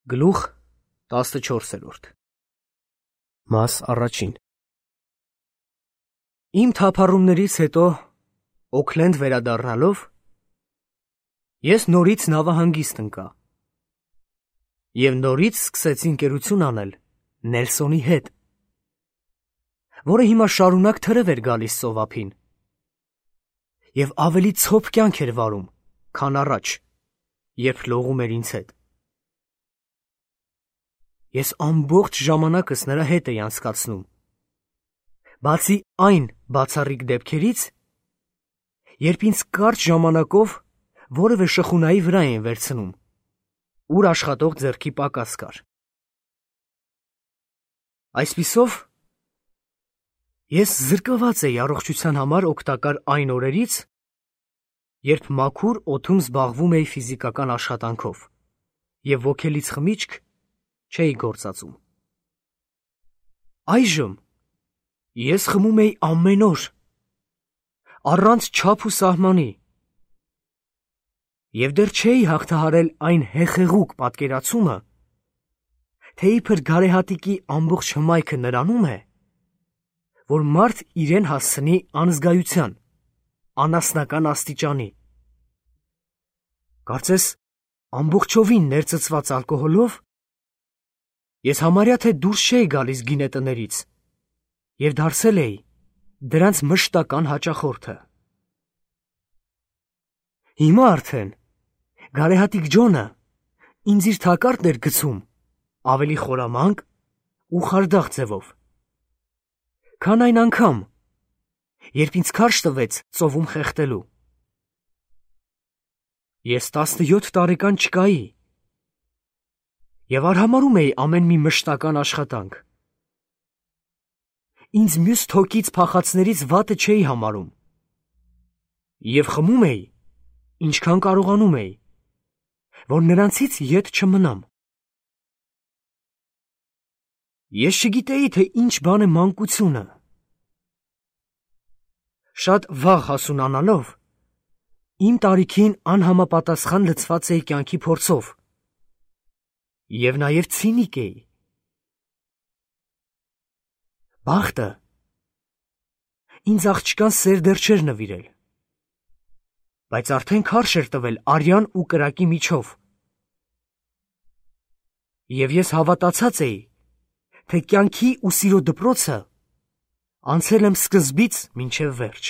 Գլուխ 14 Մաս առաջին Իմ թափառումներից հետո Օքլենդ վերադառնալով ես նորից նավահանգիստ ընկա և նորից սկսեցի ընկերություն անել Նելսոնի հետ, որը հիմա շարունակ թրև էր գալիս ծովափին և ավելի ցոփ կյանք էր վարում, քան առաջ, երբ լողում էր ինձ հետ։ Ես ամբողջ ժամանակս նրա հետ էի անցկացնում, բացի այն բացառիկ դեպքերից, երբ ինձ կարճ ժամանակով որևէ շխունայի վրա էին վերցնում, ուր աշխատող ձեռքի պակաս կար։ Այսպիսով, ես զրկված էի առողջության համար օգտակար այն օրերից, երբ մաքուր օդում զբաղվում էի ֆիզիկական աշխատանքով և ոգելից խմիչք չէի գործածում։ Այժմ ես խմում էի ամեն օր, առանց չափ ու սահմանի, և դեռ չէի հաղթահարել այն հեղեղուկ պատկերացումը, թե իբր գարեհատիկի ամբողջ հմայքը նրանում է, որ մարդ իրեն հասցնի անզգայության, անասնական աստիճանի։ Կարծես ամբողջովին ներծծված ալկոհոլով ես համարյա թե դուրս չէի գալիս գինետներից և դարձել էի դրանց մշտական հաճախորդը։ Հիմա արդեն գարեհատիկ Ջոնը ինձ իր թակարդն էր գցում ավելի խորամանկ ու խարդախ ձևով, քան այն անգամ, երբ ինձ քարշ տվեց ծովում խեղդելու։ Ես 17 տարեկան չկայի և արհամարհում էի ամեն մի մշտական աշխատանք։ Ինձ մյուս թոկից փախածներից վատը չէի համարում և խմում էի, ինչքան կարողանում էի, որ նրանցից ետ չմնամ։ Ես չգիտեի, թե ինչ բան է մանկությունը։ Շատ վաղ հասունանալով, իմ տարիքին անհամապատասխան լցված էի կյանքի փորձով և նաև ցինիկ էի։ Բախտը ինձ աղջկան սեր դեռ չէր նվիրել, բայց արդեն քարշ էր տվել արյան ու կրակի միջով, և ես հավատացած էի, թե կյանքի ու սիրո դպրոցը անցել եմ սկզբից մինչև վերջ։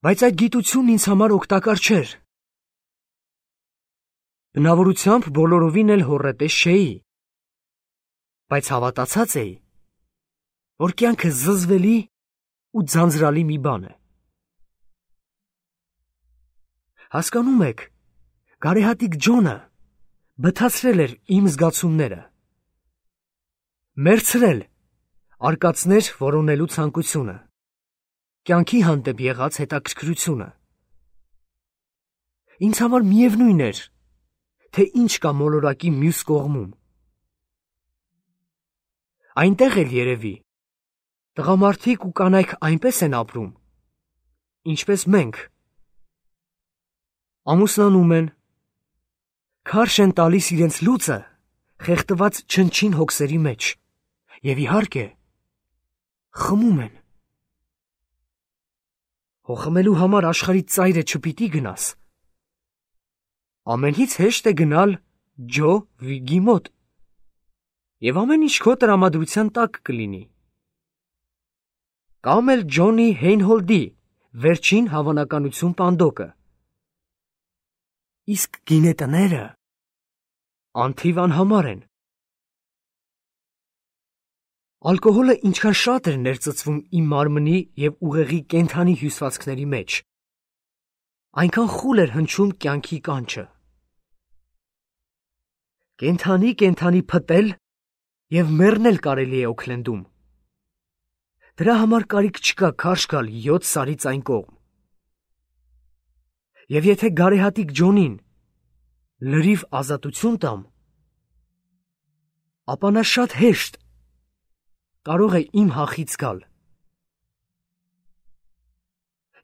Բայց այդ գիտությունն ինձ համար օգտակար չէր։ Բնավորությամբ բոլորովին էլ հոռետես չէի, բայց հավատացած էի, որ կյանքը զզվելի ու ձանձրալի մի բան է։ Հասկանում եք, գարեհատիկ Ջոնը բթացրել էր իմ զգացումները, մերձրել արկածներ որոնելու ցանկությունը, կյանքի հանդեպ եղած հետաքրքրությունը։ Ինձ համար միևնույն էր, թե ինչ կա մոլորակի մյուս կողմում։ Այնտեղ էլ երևի տղամարդիկ ու կանայք այնպես են ապրում, ինչպես մենք։ Ամուսնանում են, քարշ են տալիս իրենց լուծը խեղդված չնչին հոգսերի մեջ և իհարկե խմում են։ Հո խմելու համար աշխարհի ծայրը չպիտի գնաս։ Ամենից հեշտ է գնալ Ջո Վիգի մոտ, և ամեն ինչ քո տրամադրության տակ կլինի։ Կամ էլ Ջոնի Հեյնհոլդի վերջին հավանականություն պանդոկը։ Իսկ գինետները անթիվ անհամար են։ Ալկոհոլը ինչքան շատ էր ներծծվում իմ մարմնի և ուղեղի կենդանի հյուսվածքների մեջ, այնքան խուլ էր հնչում կյանքի կանչը։ Կենդանի փտել և մեռնել կարելի է Օքլենդում։ Դրա համար կարիք չկա քարշ գալ 7 սարից այն կողմ։ Եվ եթե գարեհատիկ Ջոնին լրիվ ազատություն տամ, ապա նա շատ հեշտ կարող է իմ հախից գալ։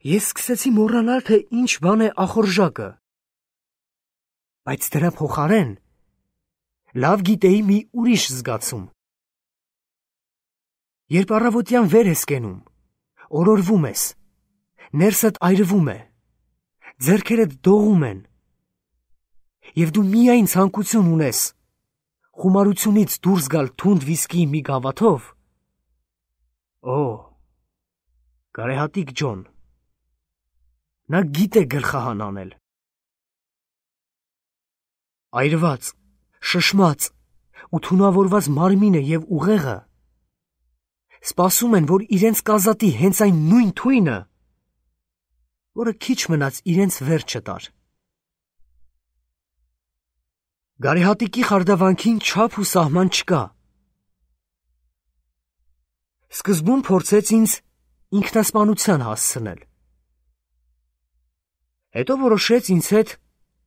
Ես սկսեցի մոռանալ, թե ինչ բան է ախորժակը, բայց դրա փոխարեն լավ գիտեի մի ուրիշ զգացում։ Երբ առավոտյան վեր ես կենում, օրորվում ես, ներսդ այրվում է, ձեռքերդ դողում են, և դու միայն ցանկություն ունես խումարությունից դուրս գալ թունդ վիսկիի մի գավաթով, գարեհատիկ Ջոն, նա գիտե գլխահան անել։ Այրված, շշմած ու թունավորված մարմինը և ուղեղը սպասում են, որ իրենց կազատի հենց այն նույն թույնը, որը քիչ մնաց իրենց վերջը տար։ Գարեհատիկի խարդավանքին չափ ու սահման չկա։ Սկզբում փորձեց ինձ ինքնասպանության հասցնել։ Հետո որոշեց ինձ հետ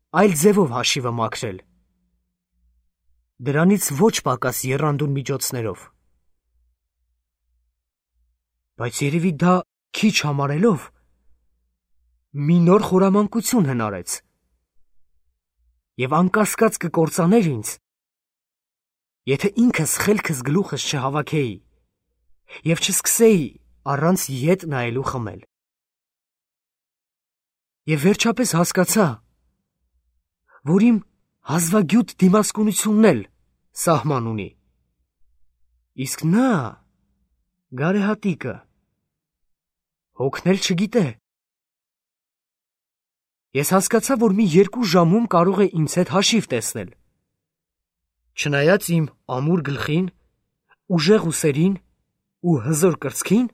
այլ ձևով հաշիվը մաքրել։ Դրանից ոչ պակաս եռանդուն միջոցներով։ Բայց երևի դա քիչ համարելով, մի նոր խորամանկություն հնարեց և անկասկած կկործաներ ինձ, եթե ինքս խելքս գլուխս չհավաքեի և չսկսեի առանց ետ նայելու խմել։ Եվ վերջապես հասկացա, որ իմ հազվագյուտ դիմասկունությունն էլ սահման ունի, իսկ նա, գարեհատիկը, հոգնել չգիտե։ Ես հասկացա, որ մի 2 ժամում կարող է ինձ հետ հաշիվ տեսնել, չնայած իմ ամուր գլխին, ուժեղ ուսերին ու հզոր կրծքին,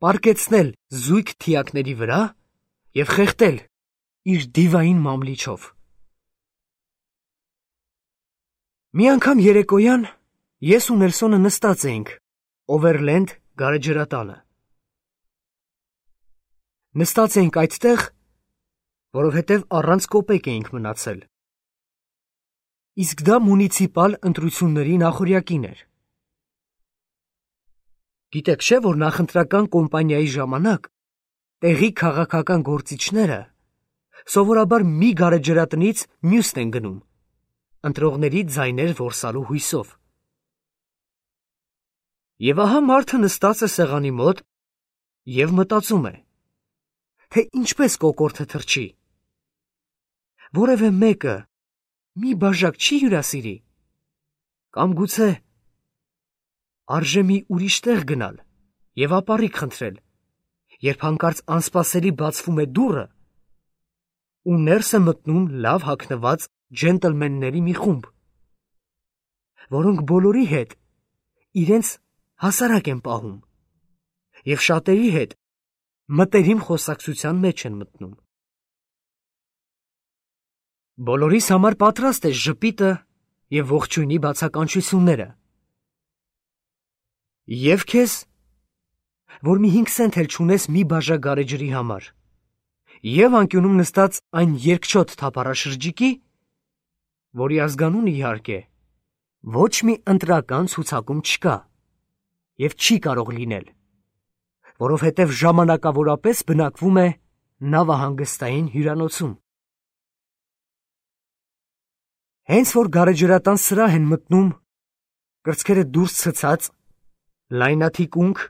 պառկեցնել զույգ թիակների վրա և խեղդել իր դիվային մամլիչով։ Մի անգամ երեկոյան ես ու Նելսոնը նստած էինք Օվերլենդ գարեջրատանը։ Նստած էինք այդտեղ, որովհետև առանց կոպեկ էինք մնացել։ Իսկ դա մունիցիպալ ընտրությունների նախօրյակին էր։ Գիտեք չէ, որ նախընտրական կոմպանիայի ժամանակ տեղի քաղաքական գործիչները սովորաբար մի գարեջրատնից մյուսն են գնում, ընտրողների ձայներ որսալու հույսով։ Եվ ահա մարդը նստած է սեղանի մոտ և մտածում է, թե ինչպես կոկորդը թռչի, որևէ մեկը մի բաժակ չի հյուրասիրի, կամ գուցե արժե մի ուրիշ տեղ գնալ և ապառիկ խնդրել, երբ հանկարծ անսպասելի բացվում է դուռը ու ներս է մտնում լավ հագնված ջենտլմենների մի խումբ, որոնք բոլորի հետ իրենց հասարակ են պահում և շատերի հետ մտերիմ խոսակցության մեջ են մտնում։ Բոլորիս համար պատրաստ է ժպիտը և ողջույնի բացականչությունները։ Եվ քեզ, որ մի 5 սենտ էլ չունես մի բաժակ գարեջրի համար, և անկյունում նստած այն երկչոտ թափառաշրջիկի, որի ազգանունը իհարկե ոչ մի ընտրական ցուցակում չկա և չի կարող լինել, որովհետև ժամանակավորապես բնակվում է նավահանգստային հյուրանոցում։ Հենց որ գարեջրատան սրահ են մտնում կրծքերը դուրս ցցած, լայնաթիկունք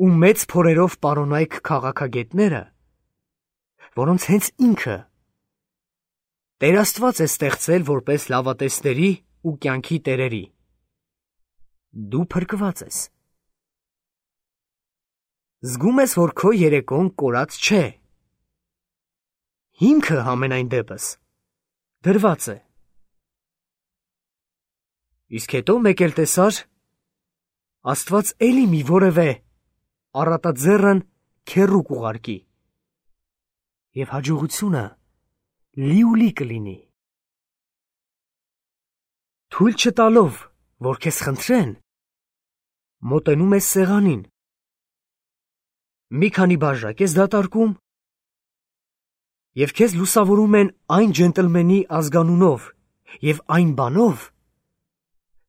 ու մեծ փորերով պարոնայք քաղաքագետները, որոնց հենց ինքը Տեր Աստված է ստեղծել որպես լավատեսների ու կյանքի տերերի, դու փրկված ես։ Զգում ես, որ քո երեկոն կորած չէ։ Հիմքը համենայն դեպս դրված է։ Իսկ հետո մեկ էլ տեսար, Աստված էլի մի որևէ առատաձեռն քեռու կուղարկի, և հաջողությունը լիուլի կլինի։ Թույլ չտալով, որ քեզ խնդրեն, մոտենում ես սեղանին, մի քանի բաժակ ես դատարկում, և քեզ լուսավորում են այն ջենտլմենի ազգանունով և այն բանով,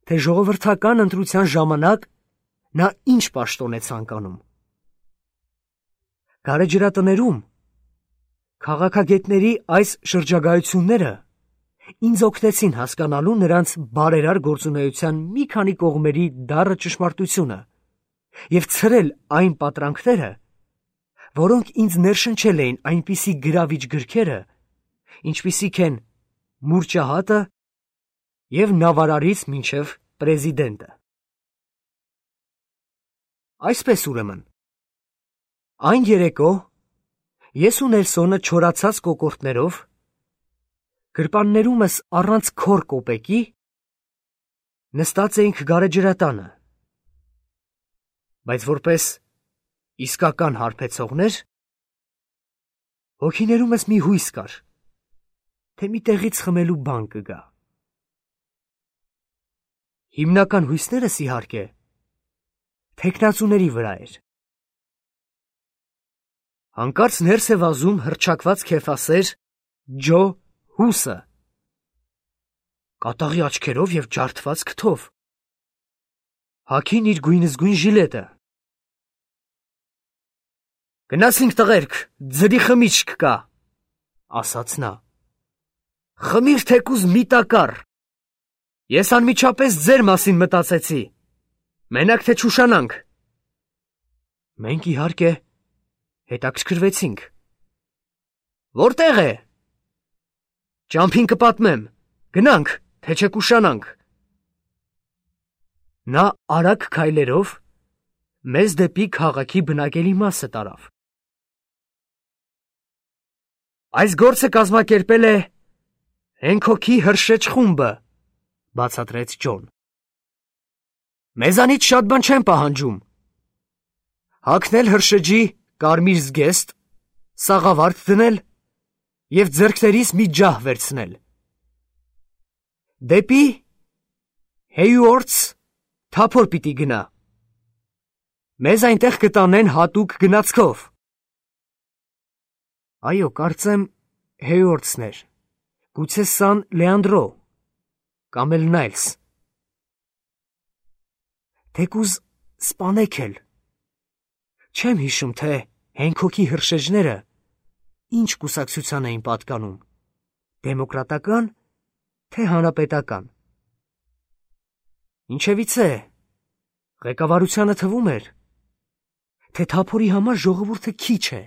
թե ժողովրդական ընտրության ժամանակ նա ինչ պաշտոն է ցանկանում։ Գարեջրատներում Քաղաքագետների այս շրջագայությունները ինձ օգնեցին հասկանալու նրանց բարերար գործունեության մի քանի կողմերի դառը ճշմարտությունը և ցրել այն պատրանքները, որոնք ինձ ներշնչել էին այնպիսի գրավիչ գրքերը, ինչպիսիք են «Մուրճահատը» և «Նավարարից մինչև պրեզիդենտը»։ Այսպես ուրեմն, այն երեկո ես ու Նելսոնը չորացած կոկորդներով, գրպաններումս առանց քոր կոպեկի, նստած էինք գարեջրատանը, բայց որպես իսկական հարբեցողներ, հոգիներումս մի հույս կար, թե մի տեղից խմելու բան կգա։ Հիմնական հույսներս, իհարկե, թեկնածուների վրա էր։ Հանկարծ ներս է վազում հռչակված քեֆասեր Ջո Հուսը, կատաղի աչքերով և ջարդված քթով, հագին իր գույնզգույն ժիլետը։ «Գնացինք, տղերք, ձրի խմիչք կա», ասաց նա։ «Խմիր թեկուզ մի տակառ։ Ես անմիջապես ձեր մասին մտածեցի, մենակ թե չուշանանք»։ Մենք, իհարկե, հետաքրքրվեցինք։ «Որտեղ է»։ «Ճամփին կպատմեմ, գնանք, թե չեք ուշանանք»։ Նա արագ քայլերով մեզ դեպի քաղաքի բնակելի մասը տարավ։ «Այս գործը կազմակերպել է Հենքոքի հրշեջ խումբը», բացատրեց Ջոն։ «Մեզանից շատ բան չեն պահանջում. հագնել հրշեջի կարմիր զգեստ, սաղավարտ դնել և ձեռքներիս մի ջահ վերցնել։ Դեպի Հեյուորթս թափոր պիտի գնա։ Մեզ այնտեղ կտանեն հատուկ գնացքով»։ Այո, կարծեմ Հեյուորթսն էր, գուցե Սան Լեանդրո կամ էլ Նայլս։ Թեկուզ սպանեք էլ։ Չեմ հիշում, թե Հենքոքի հրշեջները ինչ կուսակցության էին պատկանում, դեմոկրատական, թե հանրապետական։ Ինչևիցե, ղեկավարությանը թվում էր, թե թափորի համար ժողովուրդը քիչ է։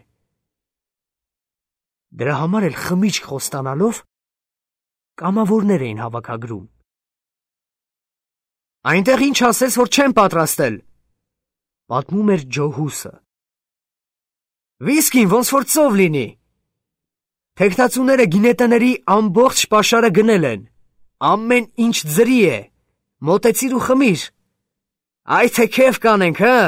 Դրա համար էլ խմիչք խոստանալով կամավորներ էին հավաքագրում։ «Այնտեղ ինչ ասես, որ չեն պատրաստել», պատմում էր Ջո Հուսը։ «Վիսկին ոնց որ ծով լինի։ Թեկնածուները գինետների ամբողջ պաշարը գնել են, ամեն ինչ ձրի է, մոտեցիր ու խմիր, այ թե քեֆ կանենք, հը»։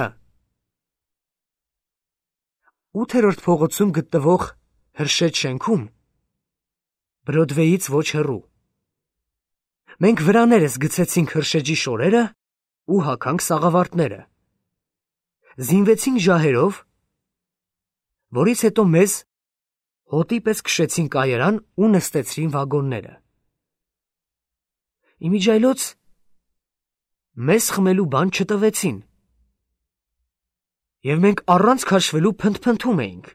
8-րդ փողոցում գտնվող հրշեջ շենքում, Բրոդվեյից ոչ հեռու, մենք վրաներս գցեցինք հրշեջի շորերը ու հագանք սաղավարտները, զինվեցինք ջահերով, որից հետո մեզ հոտի պես քշեցին կայարան ու նստեցրին վագոնները։ Իմիջիայլոց մեզ խմելու բան չտվեցին, և մենք առանց քաշվելու փնթփնթում էինք։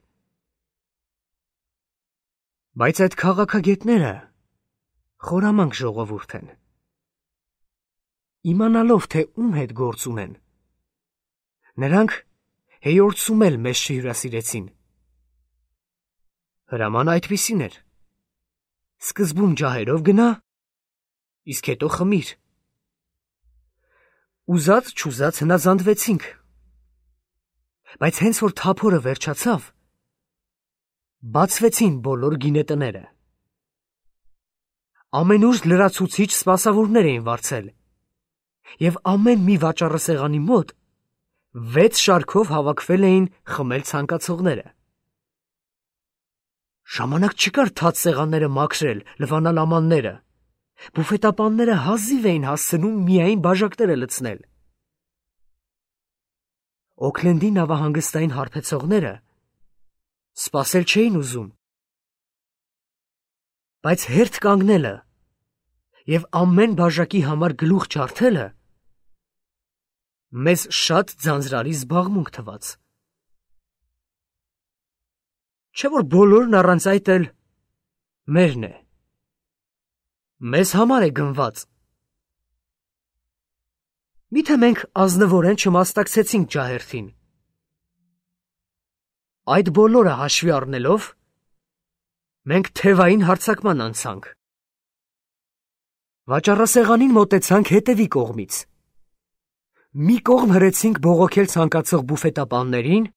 Բայց այդ քաղաքագետները խորամանկ ժողովուրդ են։ Իմանալով, թե ում հետ գործ ունեն, նրանք Հեյորթսում էլ մեզ չհյուրասիրեցին։ Հրամանը այդպիսին էր. սկզբում ջահերով գնա, իսկ հետո խմիր։ Ուզած-չուզած հնազանդվեցինք։ Բայց հենց որ թափորը վերջացավ, բացվեցին բոլոր գինետները։ Ամենուր լրացուցիչ սպասավորներ էին վարձել, և ամեն մի վաճառասեղանի մոտ 6 շարքով հավաքվել էին խմել ցանկացողները։ Ժամանակ չկար թաց սեղանները մաքրել, լվանալ ամանները, բուֆետապանները հազիվ էին հասցնում միայն բաժակները լցնել։ Օքլենդի նավահանգստային հարբեցողները սպասել չէին ուզում, բայց հերթ կանգնելը և ամեն բաժակի համար գլուխ ջարդելը մեզ շատ ձանձրալի զբաղմունք թվաց։ Չէ՞ որ բոլորն առանց այդ էլ մերն է։ Մեզ համար է գնված։ Միթե մենք ազնվորեն չմասնակցեցինք ջահերթին։ Այդ բոլորը հաշվի առնելով, մենք թևային հարձակման անցանք։ Վաճառասեղանին մոտեցանք հետևի կողմից։ Մի կողմ հրեցինք բողոքել ցանկացող բուֆետապաններին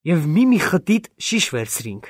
և մի խտիտ շիշ վերցրինք։